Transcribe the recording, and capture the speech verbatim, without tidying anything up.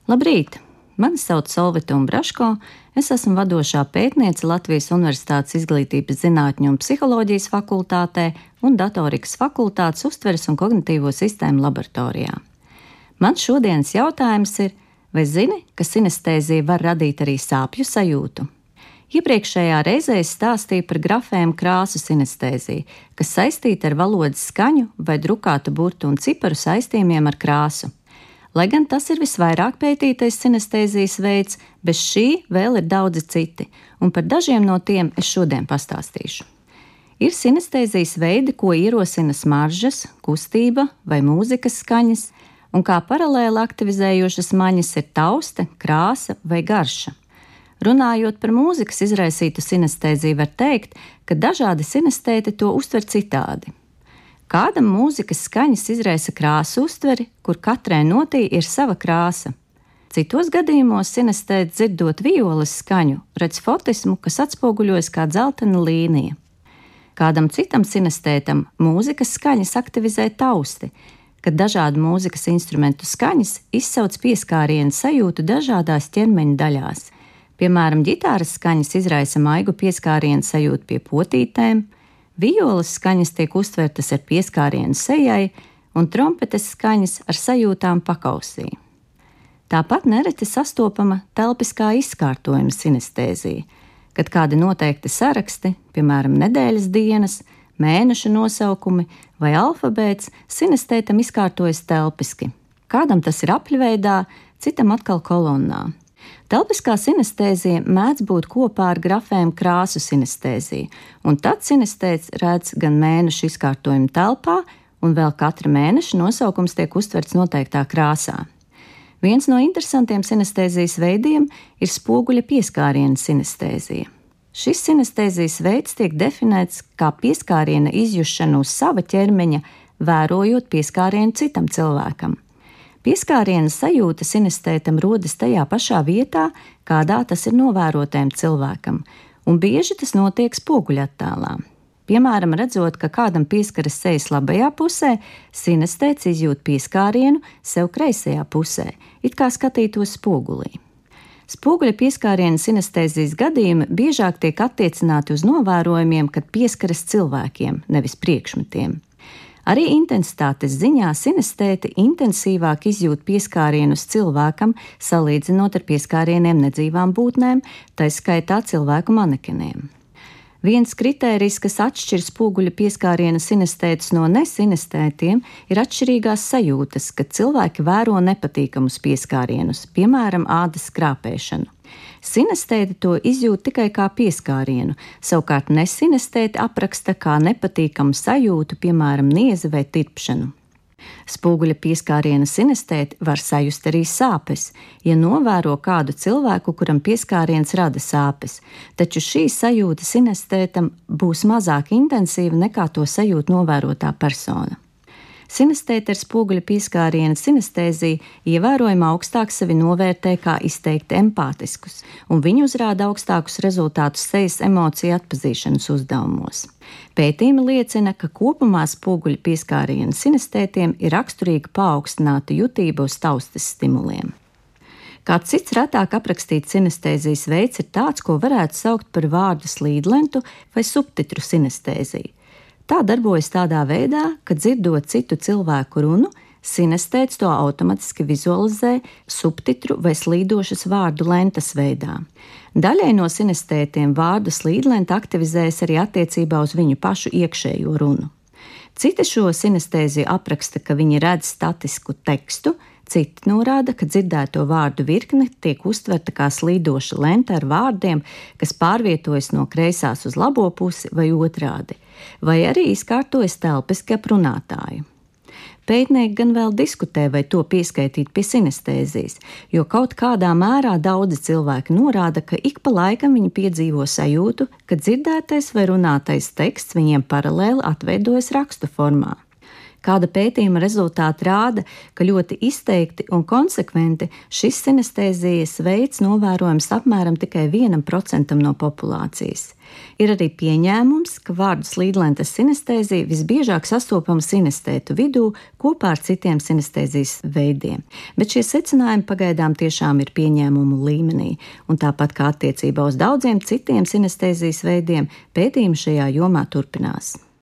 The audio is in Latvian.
Labrīt! Mani sauc Solvita Umbraško, es esmu vadošā pētniece Latvijas Universitātes Izglītības zinātņu un psiholoģijas fakultātē un datorikas fakultātes uztveres un kognitīvo sistēmu laboratorijā. Mans šodienas jautājums ir, vai zini, ka sinestēzija var radīt arī sāpju sajūtu? Iepriekšējā reizē es stāstīju par grafēmu krāsu sinestēziju, kas saistīta ar valodas skaņu vai drukātu burtu un ciparu saistījumiem ar krāsu. Lai gan tas ir visvairāk pētītais sinestēzijas veids, bez šī vēl ir daudzi citi, un par dažiem no tiem es šodien pastāstīšu. Ir sinestēzijas veidi, ko ierosina smaržas, kustība vai mūzikas skaņas, un kā paralēli aktivizējošas maņas ir tauste, krāsa vai garša. Runājot par mūzikas izraisītu sinestēziju, var teikt, ka dažādi sinestēti to uztver citādi. Kādam mūzikas skaņas izraisa krāsu uztveri, kur katrai notī ir sava krāsa. Citos gadījumos sinestēti dzirdot violas skaņu, redz fotismu, kas atspoguļojas kā dzeltena līnija. Kādam citam sinestētam mūzikas skaņas aktivizē tausti, kad dažādu mūzikas instrumentu skaņas izsauc pieskārienu sajūtu dažādās ķermeņa daļās. Piemēram, ģitāras skaņas izraisa maigu pieskārienu sajūtu pie potītēm, violas skaņas tiek uztvertas ar pieskārienu sejai un trompetes skaņas ar sajūtām pakausī. Tāpat nereti sastopama telpiskā izkārtojuma sinestēzija, kad kādi noteikti saraksti, piemēram, nedēļas dienas, mēneša nosaukumi vai alfabēts, sinestētam izkārtojas telpiski. Kādam tas ir apļveidā, citam atkal kolonnā. Telpiskā sinestēzija mēdz būt kopā ar grafēmu krāsu sinestēziju, un tad sinestēts redz gan mēnešu izkārtojumu telpā, un vēl katra mēneša nosaukums tiek uztverts noteiktā krāsā. Viens no interesantiem sinestēzijas veidiem ir spoguļa pieskāriena sinestēzija. Šis sinestēzijas veids tiek definēts kā pieskāriena izjušana uz sava ķermeņa, vērojot pieskārienu citam cilvēkam. Pieskāriena sajūta sinestētam rodas tajā pašā vietā, kādā tas ir novērotējam cilvēkam, un bieži tas notiek spoguļattēlā. Piemēram, redzot, ka kādam pieskaras sejas labajā pusē, sinestēts izjūt pieskārienu sev kreisajā pusē, it kā skatītos spogulī. Spoguļa pieskāriena sinestēzijas gadījumi biežāk tiek attiecināti uz novērojumiem, kad pieskaras cilvēkiem, nevis priekšmetiem. Arī intensitātes ziņā sinestēti intensīvāk izjūt pieskārienus cilvēkam, salīdzinot ar pieskārieniem nedzīvām būtnēm, tā skaitā cilvēku manekeniem. Viens kritērijs, kas atšķir spoguļa pieskāriena sinestētus no nesinestētiem, ir atšķirīgās sajūtas, kad cilvēki vēro nepatīkamus pieskārienus, piemēram, ādas skrāpēšanu. Sinestēti to izjūt tikai kā pieskārienu, savukārt nesinestēti apraksta kā nepatīkamu sajūtu, piemēram, niezi vai tirpšanu. Spoguļa pieskāriena sinestēti var sajust arī sāpes, ja novēro kādu cilvēku, kuram pieskāriens rada sāpes, taču šī sajūta sinestētam būs mazāk intensīva nekā to sajūt novērotā persona. Sinestēti ar spoguļa pieskāriena sinestēziju ievērojami augstāk sevi novērtē kā izteikti empātiskus, un viņi uzrāda augstākus rezultātus sejas emociju atpazīšanas uzdevumos. Pētījumi liecina, ka kopumā spoguļa pieskāriena sinestētiem ir raksturīga paaugstināta jutība uz taustes stimuliem. Kāds cits retāk aprakstīts sinestēzijas veids ir tāds, ko varētu saukt par vārdu slīdlentu vai subtitru sinestēziju. Tā darbojas tādā veidā, ka dzirdot citu cilvēku runu, sinestēts to automatiski vizualizē subtitru vai slīdošas vārdu lentas veidā. Daļai no sinestētiem vārdu slīdlenta aktivizējas arī attiecībā uz viņu pašu iekšējo runu. Citi šo sinestēziju apraksta, ka viņi redz statisku tekstu, citi norāda, ka dzirdēto vārdu virkne tiek uztverta kā slīdoša lenta ar vārdiem, kas pārvietojas no kreisās uz labo pusi vai otrādi, vai arī izkārtojas telpiski ap runātāju. Pētnieki gan vēl diskutē, vai to pieskaitīt pie sinestēzijas, jo kaut kādā mērā daudzi cilvēki norāda, ka ik pa laikam viņi piedzīvo sajūtu, ka dzirdētais vai runātais teksts viņiem paralēli atveidojas rakstu formā. Kāda pētījuma rezultāti rāda, ka ļoti izteikti un konsekventi šis sinestēzijas veids novērojams apmēram tikai vienam procentam no populācijas. Ir arī pieņēmums, ka vārdu slīdlentes sinestēzija visbiežāk sastopama sinestētu vidū kopā ar citiem sinestēzijas veidiem, bet šie secinājumi pagaidām tiešām ir pieņēmumu līmenī, un tāpat kā attiecībā uz daudziem citiem sinestēzijas veidiem, pētījumi šajā jomā turpinās.